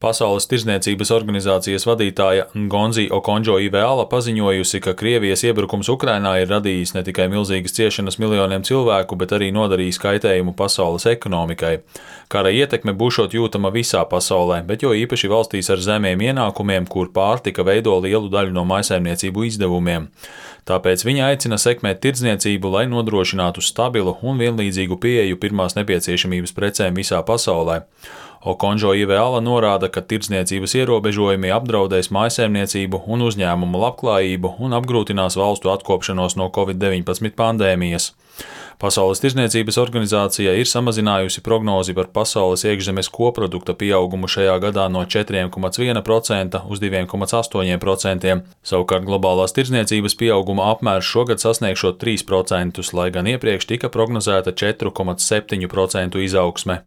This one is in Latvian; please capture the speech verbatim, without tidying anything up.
Pasaules tirdzniecības organizācijas vadītāja Ngonzi Okonjo-Iweala paziņojusi, ka Krievijas iebrukums Ukrainā ir radījis ne tikai milzīgas ciešanas miljoniem cilvēku, bet arī nodarījis kaitējumu pasaules ekonomikai. Kara ietekme būšot jūtama visā pasaulē, bet jo īpaši valstīs ar zemiem ienākumiem, kur pārtika veido lielu daļu no mājsaimniecību izdevumiem. Tāpēc viņa aicina sekmēt tirdzniecību, lai nodrošinātu stabilu un vienlīdzīgu pieeju pirmās nepieciešamības precēm visā pasaulē. Okonjo-Iweala norāda, ka tirdzniecības ierobežojumi apdraudēs mājsaimniecību un uzņēmumu labklājību un apgrūtinās valstu atkopšanos no covid deviņpadsmit pandēmijas. Pasaules tirdzniecības organizācija ir samazinājusi prognozi par pasaules iekšzemes koprodukta pieaugumu šajā gadā no četriem komats viena procenta uz diviem komats astoņi procenti. Savukārt globālās tirdzniecības pieauguma apmērs šogad sasniegšot trīs procentus, lai gan iepriekš tika prognozēta četru komats septiņu procentu izaugsme.